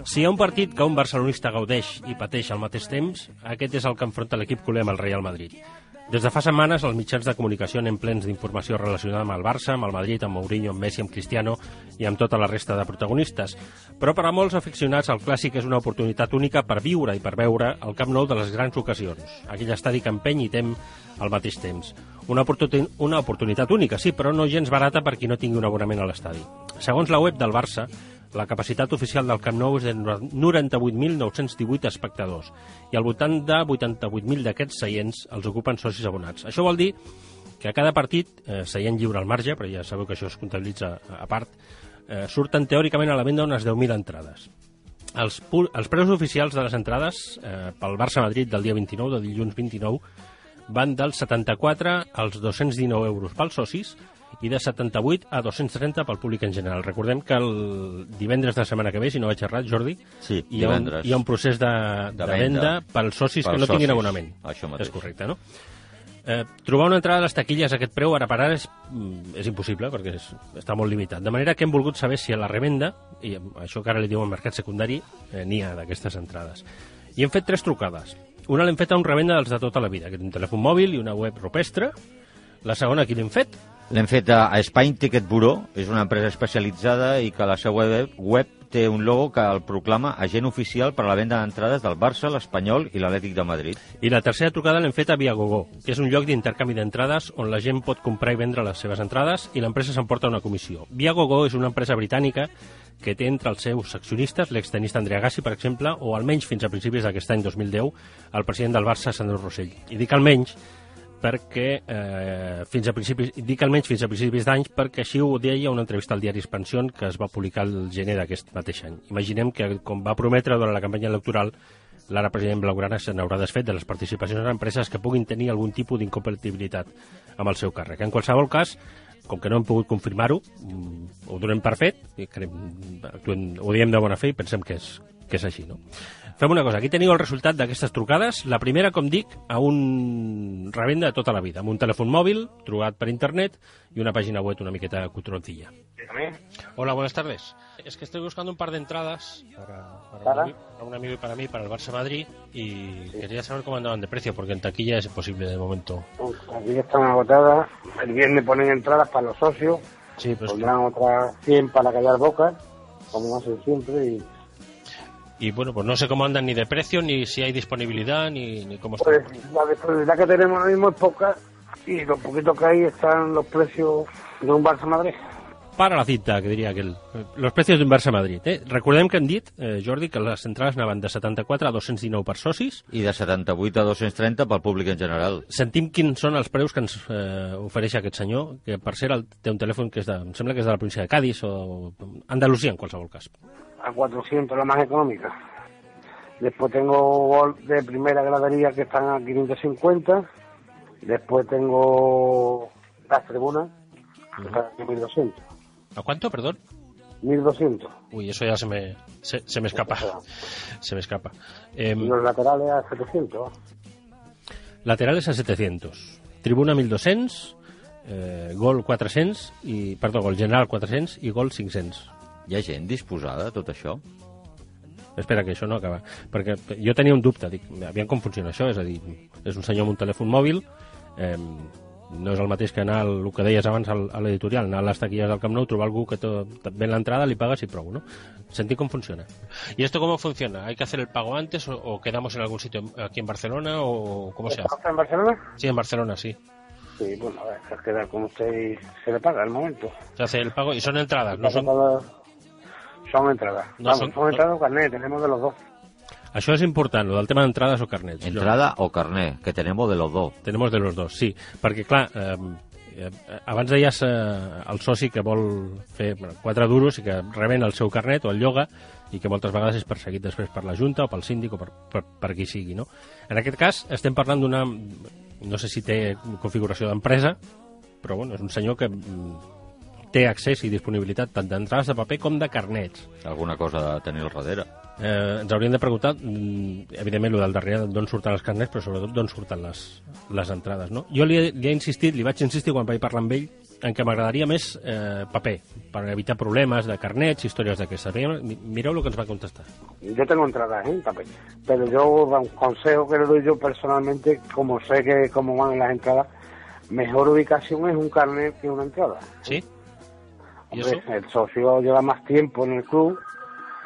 Si hi ha un partit que un barcelonista gaudeix i pateix al mateix temps, aquest és el que enfronta l'equip culer amb el Real Madrid. Des de fa setmanes, els mitjans de comunicació anem plens d'informació relacionada amb el Barça, amb el Madrid, amb Mourinho, amb Messi, amb Cristiano i amb tota la resta de protagonistes. Però per a molts aficionats el Clàssic és una oportunitat única per viure i per veure el Camp Nou de les grans ocasions, aquell estadi que empeny i tem al mateix temps. Una oportunitat única, sí, però no gens barata per qui no tingui un abonament a l'estadi. Segons la web del Barça, la capacitat oficial del Camp Nou és de 98.918 espectadors i al voltant de 88.000 d'aquests seients els ocupen socis abonats. Això vol dir que a cada partit, seient lliure al marge, però ja sabeu que això es comptabilitza a part, surten teòricament a la venda unes 10.000 entrades. Els preus oficials de les entrades pel Barça-Madrid del dia 29, de dilluns 29, van dels 74 als 219 euros pels socis i de 78 a 230 pel públic en general. Recordem que el divendres de la setmana que ve, si no vaig errat, Jordi, sí, hi ha un procés de venda pels socis que no tinguin abonament. Això mateix. És correcte, no? Trobar una entrada a les taquilles a aquest preu ara per ara és impossible perquè està molt limitat. De manera que hem volgut saber si a la revenda, i això que ara li diuen mercat secundari, n'hi ha d'aquestes entrades. I hem fet 3 trucades. Una l'hem fet a un revenda dels de tota la vida, que és un telèfon mòbil i una web rupestre. La segona, qui l'hem fet? L'hem fet a Spain Ticket Bureau, és una empresa especialitzada i que a la seva web té un logo que el proclama agent oficial per a la venda d'entrades del Barça, l'Espanyol i l'Atlètic de Madrid. I la tercera trucada l'hem fet a Viagogo, que és un lloc d'intercanvi d'entrades on la gent pot comprar i vendre les seves entrades i l'empresa s'emporta una comissió. Viagogo és una empresa britànica que té entre els seus accionistes l'extenista Andrea Agassi, per exemple, o almenys fins a principis d'aquest any 2010, el president del Barça, Sandro Rosell. I dic almenys perquè fins a principis d'anys perquè així ho deia una entrevista al diari Expansión que es va publicar el gener d'aquest mateix any. Imaginem que, com va prometre durant la campanya electoral, l'ara president Blaugrana se n'haurà desfet de les participacions en empreses que puguin tenir algun tipus d'incompatibilitat amb el seu càrrec. En qualsevol cas, com que no hem pogut confirmar-ho, ho donem per fet, ho diem de bona fe i pensem que és així, no? Fem una cosa, aquí teniu el resultat d'aquestes trucades. La primera, com dic, a un revenda de tota la vida, amb un telèfon mòbil, trucat per internet y una página web una miqueta cutroncilla. Hola, buenas tardes. Es que estoy buscando un par de entradas para un amigo y para mí, para el Barça-Madrid, y quería saber cómo andaban de precio, porque en taquilla es imposible de momento. Aquí están agotadas. El viernes ponen entradas para los socios, sí, pues pondrán otras 100 para callar bocas, como hacen siempre, y bueno, pues no sé cómo andan ni de precio, ni si hay disponibilidad, ni cómo está. Pues la disponibilidad que tenemos ahora mismo es poca, y lo poquito que hay están los precios de un Barça-Madrid. Para la cita, que diria aquell. Los precios d'un Barça-Madrid. Recordem que hem dit, Jordi, que les entrades anaven de 74 a 219 per socis. I de 78 a 230 pel públic en general. Sentim quins són els preus que ens ofereix aquest senyor, que per cert té un telèfon que em sembla que és de la província de Cádiz o Andalucía, en qualsevol cas. A 400, la más económica. Después tengo de primera gradería que están a 550. Después tengo las tribunas, que están a 1200. ¿A cuánto, perdón? 1200. Uy, eso ya se me escapa. Se me escapa. Los laterales a 700. Laterales a 700. Tribuna 1200, gol 400, gol general 400 i gol 500. Hi ha gent disposada a tot això? Espera, que això no acaba. Perquè jo tenia un dubte, dic, aviam com funciona això, és a dir, és un senyor amb un telèfon mòbil, no és el mateix que anar, el que deies abans a l'editorial, anar a les taquillas del Camp Nou, trobar algú que ven l'entrada, li pagas y prou, ¿no? Sentir cómo funciona. ¿Y esto cómo funciona? ¿Hay que hacer el pago antes o quedamos en algún sitio aquí en Barcelona o cómo se hace? ¿En Barcelona? Sí, en Barcelona, sí. Sí, bueno, a ver, se queda con usted y se le paga al momento. Se hace el pago y son entradas, ¿no son? Son entradas. No, vamos, son entradas o carnet, tenemos de los dos. Això és important, el del tema d'entrades o carnets. Entrada o carnet, que tenemos de los dos. Tenemos de los dos, sí. Perquè, clar, abans deies el soci que vol fer 4 duros i que reben el seu carnet o el lloga i que moltes vegades és perseguit després per la Junta o pel síndic o per qui sigui, no? En aquest cas estem parlant d'una... No sé si té configuració d'empresa, però bueno, és un senyor que té accés i disponibilitat tant d'entrades de paper com de carnets. Alguna cosa de tenir al darrere. Ens hauríem de preguntar, evidentment, el del darrere d'on surten els carnets, però sobretot d'on surten les entrades, no? Jo li he insistit, li vaig insistir quan vaig parlar amb ell, en què m'agradaria més paper, per evitar problemes de carnets, històries d'aquestes. Mireu el que ens va contestar. Yo tengo entradas en papel, pero yo, un consejo que le doy yo personalmente, como sé que cómo van las entradas, mejor ubicación es un carnet que una entrada. ¿Sí? ¿Y Hombre, eso? el socio lleva más tiempo en el club,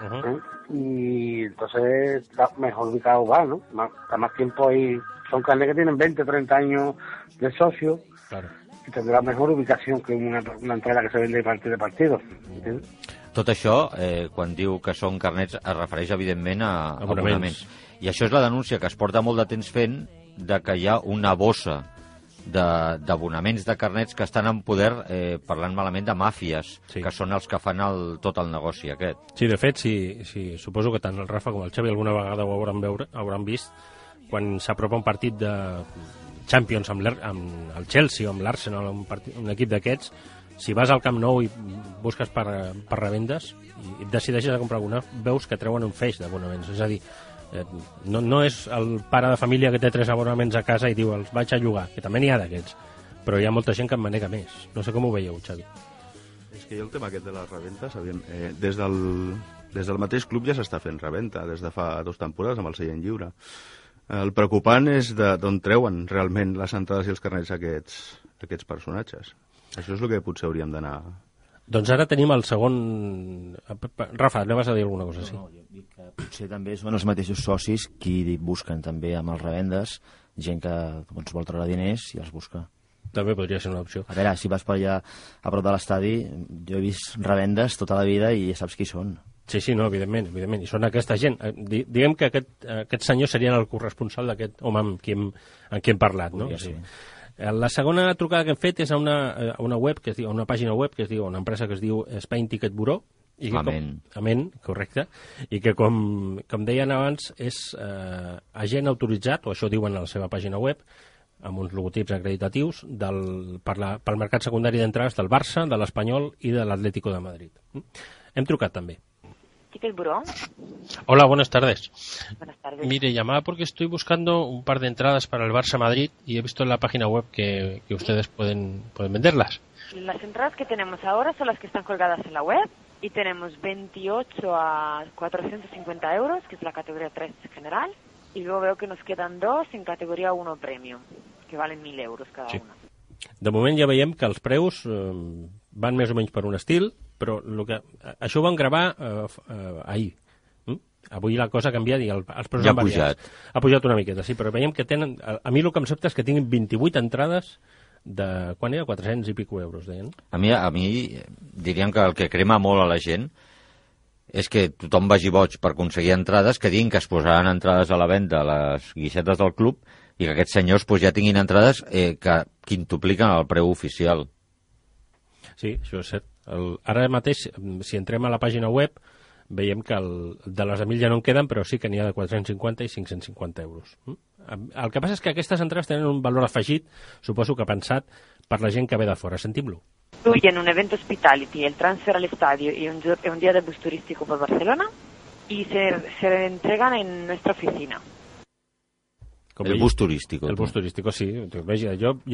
Uh-huh. y entonces está mejor ubicado va, ¿no? Está más tiempo ahí. Son carnets que tienen 20, 30 años de socio, Claro. y tendrá mejor ubicación que una entrada que se vende de partido. ¿Entiendes? Tot això, quan diu que són carnets, es refereix, evidentment, a Abonaments. I això és la denúncia que es porta molt de temps fent, de que hi ha una bossa d'abonaments de carnets que estan en poder, parlant malament, de màfies, Sí. que són els que fan tot el negoci aquest. Sí, de fet, sí, suposo que tant el Rafa com el Xavi alguna vegada ho hauran vist quan s'apropa un partit de Champions amb el Chelsea o amb l'Arsenal, un equip d'aquests. Si vas al Camp Nou i busques per revendes i et decideixes a comprar alguna, veus que treuen un feix d'abonaments. És a dir, no és el pare de família que té 3 abonaments a casa i diu els vaig a llogar, que també n'hi ha d'aquests, però hi ha molta gent que en manega més. No sé com ho veieu, Xavi. És que jo el tema aquest de les reventes, des del mateix club ja s'està fent reventa, des de fa 2 temporades amb el seient lliure. El preocupant és d'on treuen realment les entrades i els carnets aquests personatges. Això és el que potser hauríem d'anar... Doncs ara tenim el segon... Rafa, anaves a dir alguna cosa, sí. No, jo dic que potser també són els mateixos socis qui busquen també amb els revendes gent que doncs, vol treure diners i els busca. També podria ser una opció. A veure, si vas per allà a prop de l'estadi, jo he vist revendes tota la vida i ja saps qui són. Sí, no, evidentment. I són aquesta gent. Diguem que aquests senyors serien el corresponsal d'aquest home amb qui hem parlat, no? Sí. La segona trucada que hem fet és a una web que es diu, a una pàgina web que es diu, una empresa que es diu Spain Ticket Bureau. Amén, correcte. I que, com deien abans, és agent autoritzat, o això diuen a la seva pàgina web, amb uns logotips acreditatius pel mercat secundari d'entrades del Barça, de l'Espanyol i de l'Atlético de Madrid. Hem trucat també. Ticket Bureau. Hola, buenas tardes. Buenas tardes. Mire, llamaba porque estoy buscando un par de entradas para el Barça Madrid y he visto en la página web que ustedes pueden venderlas. Las entradas que tenemos ahora son las que están colgadas en la web y tenemos 28 a 450 euros, que es la categoría 3 general, y luego veo que nos quedan 2 en categoría 1 premium, que valen 1.000 euros cada una. De moment ja veiem que els preus van més o menys per un estil, però això ho van gravar ahir. Avui la cosa ha canviat i els preus ja han variat. Ha pujat una miqueta, sí, però veiem que tenen... A mi el que em sobta és que tinguin 28 entrades de... Quan era? 400 i pico euros, deien. A mi diríem que el que crema molt a la gent és que tothom vagi boig per aconseguir entrades, que diguin que es posaran entrades a la venda a les guixetes del club i que aquests senyors ja tinguin entrades que quintupliquen el preu oficial. Sí, això és cert. Ara mateix, si entrem a la pàgina web, veiem que de les de 1.000 ja no en queden, però sí que n'hi ha de 450 i 550 euros. El que passa és que aquestes entrades tenen un valor afegit, suposo que pensat per la gent que ve de fora. Sentim-lo. Incluyen un evento hospitality, el transfer al estadio y un día de bus turístico por Barcelona y se entregan en nuestra oficina. El bus turístic. El bus turístic, sí. Jo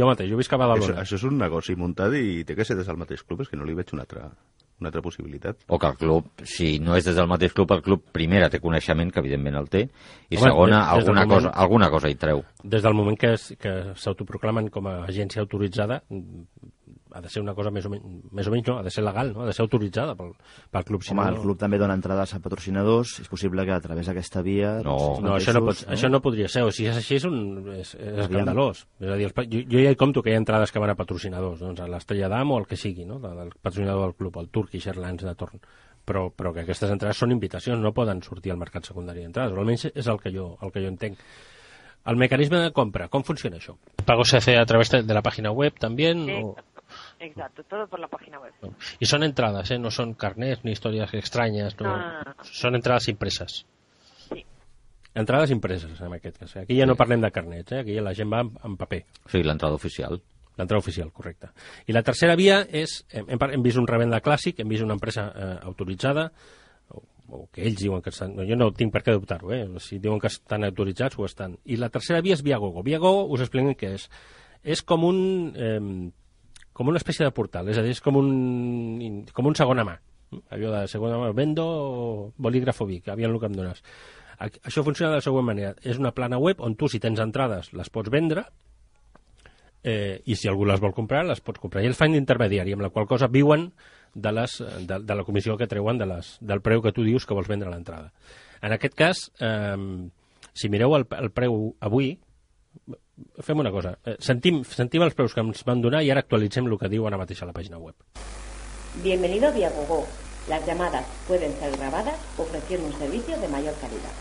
mateix, jo visc a Badalona. Això és un negoci muntat i té que ser des del mateix club, és que no li veig una altra possibilitat. O que el club, si no és des del mateix club, el club primera té coneixement, que evidentment el té, i segona, alguna cosa hi treu. Des del moment que s'autoproclamen com a agència autoritzada, ha de ser una cosa més o menys, no, ha de ser legal, no? Ha de ser autoritzada pel club. Home, el club també dona entrades a patrocinadors, és possible que a través d'aquesta via... No, això no podria ser, o si és així és escandalós. És a dir, jo ja hi compto que hi ha entrades que van a patrocinadors, doncs a l'Estrella d'Am o el que sigui, no? El patrocinador del club, el Turkish Airlines de torn. Però que aquestes entrades són invitacions, no poden sortir al mercat secundari d'entrades, o almenys és el que jo entenc. El mecanisme de compra, ¿cómo funciona eso? ¿Pago se hace a través de la página web también? Sí, exacto, todo por la página web. Y son entradas, no son carnets ni historias extrañas, no. Son entradas impresas. Sí. Entrades impreses, en aquest cas. Aquí ja no parlem de carnets, aquí la gent va en paper. Sí, l'entrada oficial. L'entrada oficial, correcte. I la tercera via és, hem vist un revenda clàssic, hem vist una empresa autoritzada, o que ells diuen que estan... Jo no tinc per què dubtar-ho, si diuen que estan autoritzats, ho estan. I la tercera via és Viagogo. Viagogo, us expliquem què és. És com com una espècie de portal, és a dir, és com un segona mà. Allò de segona mà, vendo bolígrafo Vic, aviam el que em dones. Això funciona de la següent manera. És una plana web on tu, si tens entrades, les pots vendre, i si algú les vol comprar, les pots comprar. I ells fan d'intermediari, amb la qual cosa viuen de la comissió que treuen del preu que tu dius que vols vendre a l'entrada. En aquest cas, si mireu el preu avui, fem una cosa. Sentim els preus que ens van donar i ara actualitzem el que diu ara mateix a la pàgina web. Bienvenido a Viagogo. Las llamadas pueden ser grabadas ofreciendo un servicio de mayor calidad.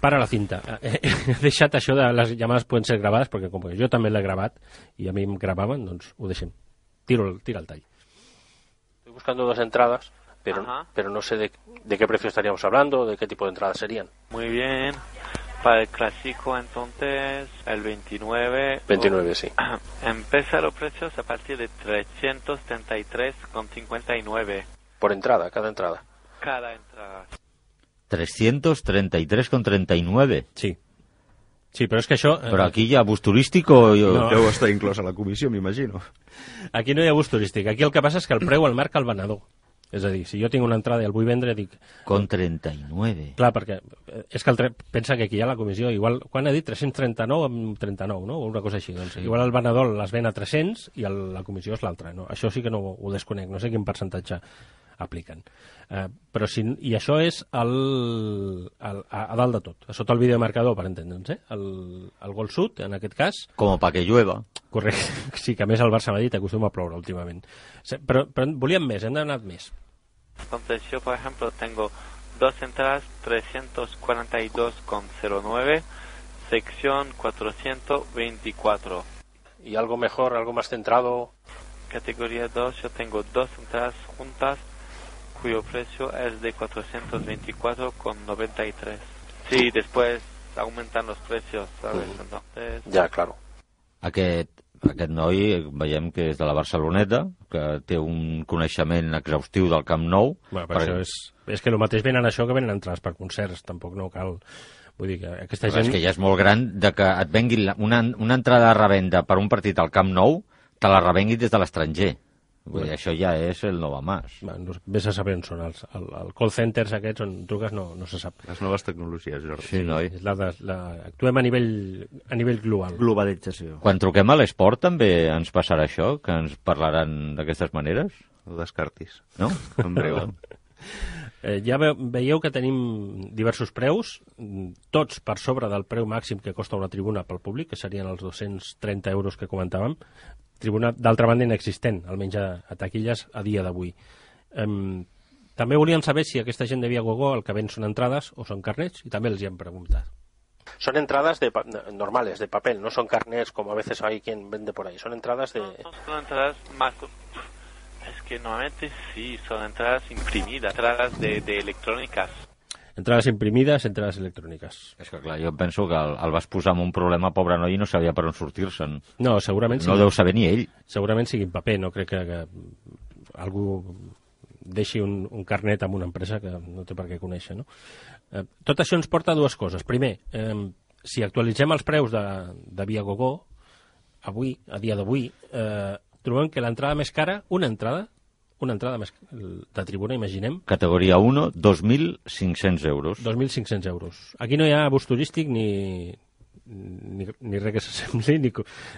Para la cinta. He deixat això de les llamades poden ser gravades, perquè com que jo també l'he gravat i a mi em gravaven, doncs ho deixem. Tira el tall. Estoy buscando dos entradas, pero no sé de qué precio estaríamos hablando, de qué tipo de entradas serían. Muy bien. Para el clásico, entonces, el 29... 29, sí. Empieza los precios a partir de 333,59. Por entrada, cada entrada. Cada entrada. 333,39. Sí. Sí, però és que això... Però aquí hi ha bus turístic o... No. Deu estar inclòs a la comissió, m'imagino. Aquí no hi ha bus turístic. Aquí el que passa és que el preu el marca el venedor. És a dir, si jo tinc una entrada i el vull vendre, dic... Con 39. Clar, perquè és que pensa que aquí hi ha la comissió, igual, quan ha dit 339 amb 39, no? O una cosa així. Doncs, igual el venedor les ven a 300 i la comissió és l'altra. No? Això sí que no ho desconec, no sé quin percentatge apliquen. Però i això és a dalt de tot, sota el videomarcador, per entendre'ns, el gol sud, en aquest cas. Com pa que llueva. Correcte, sí, que a més el Barça-Madrid acostuma a ploure últimament. Però volíem més, hem d'anar més. Entonces yo, por ejemplo, tengo dos entradas 342,09, sección 424. ¿Y algo mejor, algo más centrado? Categoría 2, yo tengo dos entradas juntas cuyo precio es de 424,93. Sí, después aumentan los precios, ¿sabes? Entonces... Ja, claro. Aquest noi veiem que és de la Barceloneta, que té un coneixement exhaustiu del Camp Nou. Bueno, però això és que el mateix venen això que venen entrades per concerts, tampoc no cal... Vull dir que aquesta gent... És que ja és molt gran de que et venguin una entrada de revenda per un partit al Camp Nou, te la revenguin des de l'estranger. Vull dir, això ja és el no va más. Bueno, vés a saber on són els call centers aquests on truques, no se sap. Les noves tecnologies, Jordi. Sí, noi. Actuem a nivell global. Globalització. Quan truquem a l'esport també ens passarà això, que ens parlaran d'aquestes maneres? No descartis. No? En breu. Ja veieu que tenim diversos preus, tots per sobre del preu màxim que costa una tribuna pel públic, que serien els 230 euros que comentàvem. Tribuna, d'altra banda, inexistent, almenys a taquilles a dia d'avui. També volíem saber si aquesta gent de Viagogo el que ven són entrades o són carnets, i també els hi hem preguntat. Son entradas normales, de papel, no son carnets como a veces hay quien vende por ahí, son entradas de... No, son entradas más... Es que normalmente sí, son entradas imprimidas, entradas de electrónicas. Entrades imprimides, entrades electròniques. És que clar, jo penso que el vas posar en un problema, pobre noi, i no sabia per on sortir-se'n. No, segurament no deu saber ni ell. Segurament sigui en paper, no crec que algú deixi un carnet amb una empresa que no té per què conèixer, no? Tot això ens porta a dues coses. Primer, si actualitzem els preus de Viagogo, avui, a dia d'avui, trobem que l'entrada més cara, una entrada més de tribuna, imaginem. Categoria 1, 2.500 euros. 2.500 euros. Aquí no hi ha bus turístic ni res que s'assembli,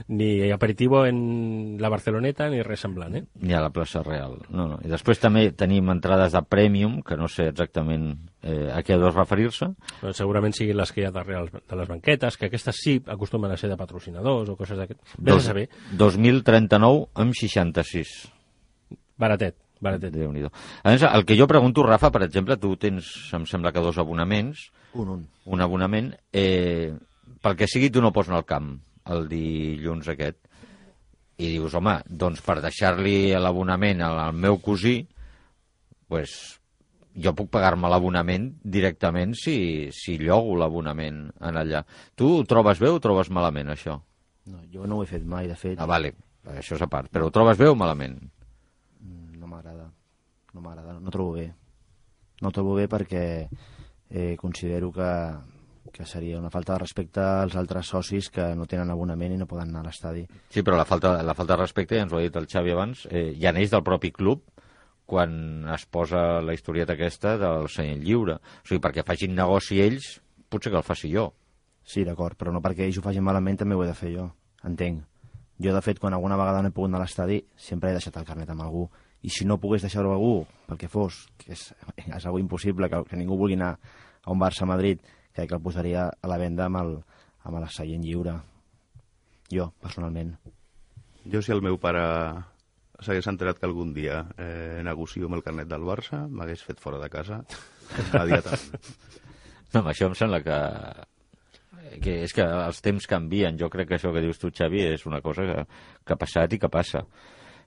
ni aperitivo en la Barceloneta, ni res semblant, eh? Ni a la plaça Real. No. I després també tenim entrades de Premium, que no sé exactament a què ha de referir-se. Però segurament siguin les que hi ha darrere de les banquetes, que aquestes sí acostumen a ser de patrocinadors o coses d'aquest. Vés a saber. 2.039,66. Baratet. Déu-n'hi-do. A més, el que jo pregunto, Rafa, per exemple, tu tens, em sembla que 2 abonaments. Un abonament. Pel que sigui, tu no pots anar al camp el dilluns aquest. I dius, home, doncs per deixar-li l'abonament al meu cosí, pues, jo puc pagar-me l'abonament directament si llogo l'abonament en allà. Tu ho trobes bé o ho trobes malament, això? No, jo no ho he fet mai, de fet. Ah, vale, això és a part. Però ho trobes bé o malament? No trobo bé. No trobo bé perquè considero que que seria una falta de respecte als altres socis que no tenen abonament i no poden anar a l'estadi. Sí, però la falta de respecte, ja ens ho ha dit el Xavi abans, ja neix del propi club quan es posa la historieta aquesta del seient lliure. O sigui, perquè facin negoci ells, potser que el faci jo. Sí, d'acord, però no perquè ells ho facin malament també ho he de fer jo, entenc. Jo, de fet, quan alguna vegada no he pogut anar a l'estadi, sempre he deixat el carnet amb algú. I si no pogués deixar-ho a algú, pel que fos, que és algo impossible, que ningú vulgui anar a un Barça-Madrid, crec que el posaria a la venda amb el seient lliure. Jo, personalment. Jo, si el meu pare s'hagués enterat que algun dia negocio amb el carnet del Barça, m'hagués fet fora de casa immediatament. No, això em sembla que és que els temps canvien. Jo crec que això que dius tu, Xavi, és una cosa que ha passat i que passa.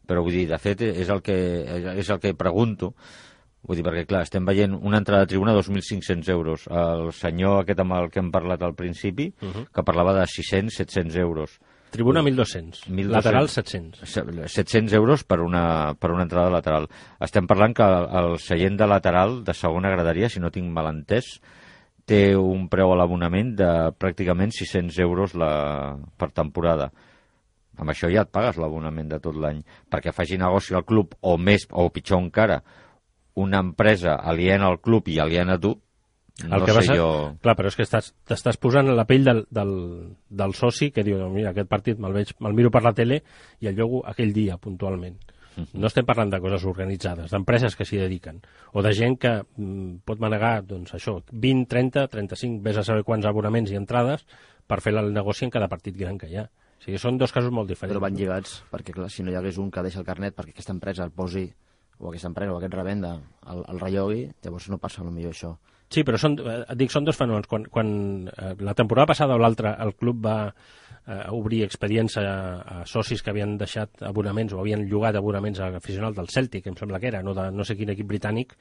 Però vull dir, de fet, és el que pregunto. Vull dir, perquè, clar, estem veient una entrada de tribuna de 2.500 euros. El senyor aquest amb el que hem parlat al principi, que parlava de 600-700 euros. Tribuna 1.200, lateral 700. 700 euros per una entrada lateral. Estem parlant que el seient de lateral de segona graderia, si no tinc mal entès, té un preu a l'abonament de pràcticament 600 euros per temporada. Amb això ja et pagues l'abonament de tot l'any. Perquè faci negoci al club, o més, o pitjor encara, una empresa aliena al club i aliena a tu, no sé jo... Clar, però és que t'estàs posant en la pell del soci que diu, mira, aquest partit me'l miro per la tele i el llogo aquell dia, puntualment. No estem parlant de coses organitzades, d'empreses que s'hi dediquen, o de gent que pot manegar, doncs això, 20, 30, 35, vés a saber quants abonaments i entrades per fer el negoci en cada partit gran que hi ha. O sigui, són dos casos molt diferents. Però van lligats, perquè clar, si no hi hagués un que deixa el carnet perquè aquesta empresa el posi, o aquesta empresa o aquest revenda el rellogui, llavors no passa potser això. Sí, però són dos fenòmens. Quan la temporada passada o l'altra el club va obrir expedients a socis que havien deixat abonaments o havien llogat abonaments a aficionats del Celtic, em sembla que era, no sé quin equip britànic,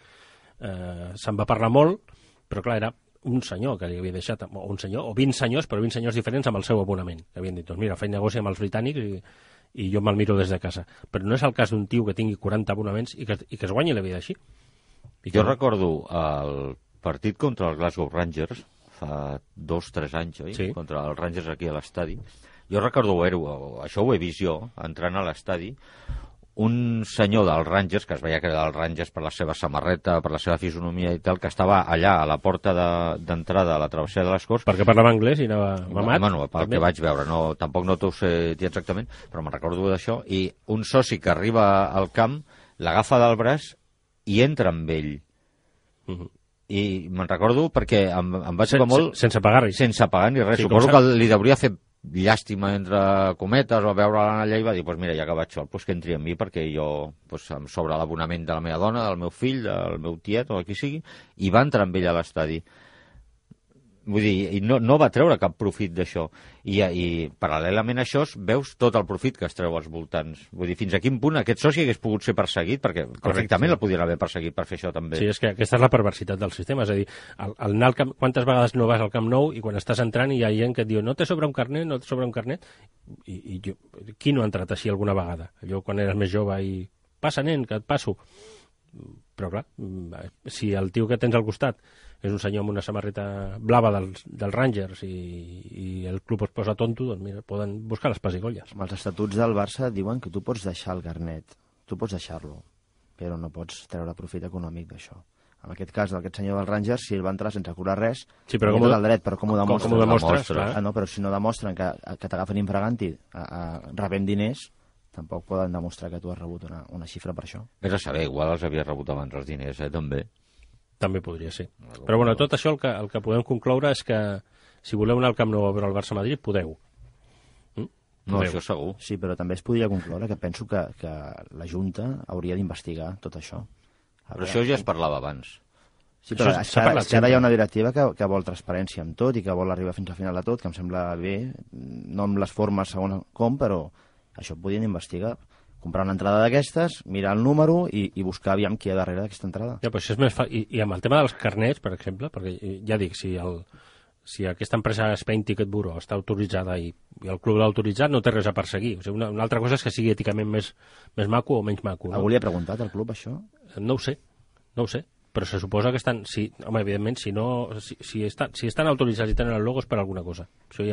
se'n va parlar molt, però clar, era un senyor que li havia deixat, o un senyor, o 20 senyors, però 20 senyors diferents amb el seu abonament. Que havien dit, doncs mira, faig negoci amb els britànics i jo me'l miro des de casa. Però no és el cas d'un tio que tingui 40 abonaments i que es guanyi la vida així. Jo recordo el partit contra els Glasgow Rangers, fa 2-3 anys, oi? Sí. Contra els Rangers aquí a l'estadi. Jo recordo això ho he vist jo, entrant a l'estadi, un senyor dels Rangers, que es veia que era dels Rangers per la seva samarreta, per la seva fisonomia i tal, que estava allà a la porta d'entrada a la travessera de les Corts. Perquè parlava anglès i anava mamat? Bueno, pel que vaig veure, tampoc no t'ho sé dir exactament, però me'n recordo d'això, i un soci que arriba al camp l'agafa del braç i entra amb ell. I me'n recordo perquè em vaig tocar molt... Sense pagar res. Sense pagar ni res. Sí, suposo que li hauria fet llàstima entre cometes o veure-la allà i va dir, doncs mira, ja que vaig sol, que entri amb mi perquè jo em sobra l'abonament de la meva dona, del meu fill, del meu tiet o qui sigui, i va entrar amb ell a l'estadi. Vull dir, no va treure cap profit d'això. I paral·lelament a això veus tot el profit que es treu als voltants. Vull dir, fins a quin punt aquest soci hagués pogut ser perseguit, perquè perfectament el podien haver perseguit per fer això també. Sí, és que aquesta és la perversitat del sistema. És a dir, al anar al camp, quantes vegades no vas al Camp Nou i quan estàs entrant hi ha gent que et diu no te sobra un carnet, no te sobra un carnet. I jo, qui no ha entrat així alguna vegada? Allò quan eres més jove i passa, nen, que et passo. Però clar, si el tio que tens al costat és un senyor amb una samarreta blava dels Rangers i el club es posa tonto, doncs mira, poden buscar les pessigolles. Amb els estatuts del Barça diuen que tu pots deixar el carnet, tu pots deixar-lo, però no pots treure profit econòmic d'això. En aquest cas, d'aquest senyor dels Rangers, si ell va entrar sense cobrar res, sí, però com del dret, però com ho demostres? Com ho demostres? No, però si no demostren que t'agafen infraganti rebent diners, tampoc poden demostrar que tu has rebut una xifra per això. És a saber, igual els havia rebut abans els diners, també. També podria ser. Però bueno, tot això el que podem concloure és que si voleu anar al Camp Nou a veure el Barça-Madrid, podeu. No, això segur. Sí, però també es podria concloure que penso que la Junta hauria d'investigar tot això. Però això ja es parlava abans. Sí, però és que ara hi ha una directiva que vol transparència amb tot i que vol arribar fins al final de tot, que em sembla bé, no amb les formes segons com, però això ho podien investigar. Comprar una entrada d'aquestes, mirar el número i buscar aviam qui hi ha darrere d'aquesta entrada. Ja, però això és més I amb el tema dels carnets, per exemple, perquè ja dic, si aquesta empresa Spain Ticket Bureau està autoritzada i el club l'ha autoritzat, no té res a perseguir. O sigui, una altra cosa és que sigui èticament més maco o menys maco. No? Algú li ha preguntat al club això? No ho sé. però se suposa que estan... Home, evidentment, si estan autoritzats i tenen el logo és per alguna cosa. Això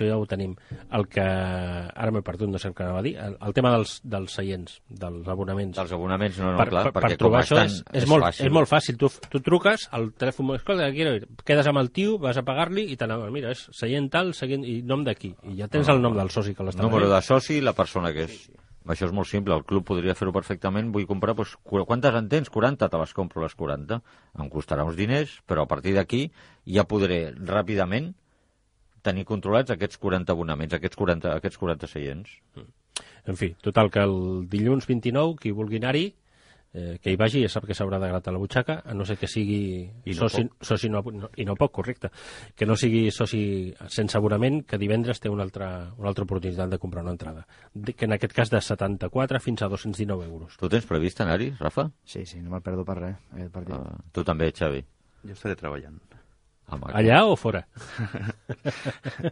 ja ho tenim. El que... Ara m'he perdut, no sé què anava a dir. El tema dels seients, dels abonaments. Dels abonaments, no, clar. perquè per trobar això és molt fàcil. Tu truques al telèfon, escolta, quedes amb el tio, vas a pagar-li i mira, és seient tal, i nom d'aquí. I ja tens el nom del soci que l'està venent. Número de soci i la persona que és. Això és molt simple, el club podria fer-ho perfectament. Vull comprar, doncs, quantes en tens? 40, te les compro les 40. Em costarà uns diners, però a partir d'aquí ja podré ràpidament tenir controlats aquests 40 abonaments, aquests 40 seients. En fi, total, que el dilluns 29, qui vulgui anar-hi, que hi vagi, ja sap que s'haurà de gratar la butxaca, a no ser que sigui soci no pot, correcte, que no sigui soci sense abonament, que divendres té una altra oportunitat de comprar una entrada, que en aquest cas de 74 fins a 219 euros. Tu tens previst anar-hi, Rafa? Sí, no me'l perdo per res, aquest partit. Tu també, Xavi? Jo estaré treballant. Allà o fora?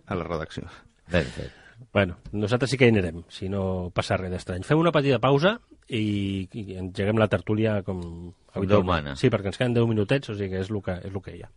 A la redacció. Ben fet. Bueno, nosaltres sí que hi anirem, si no passa res d'estrany. Fem una petita pausa i engeguem la tertúlia com habitualment. Déu mana. Sí, perquè ens queden 10 minutets, o sigui que és el que hi ha.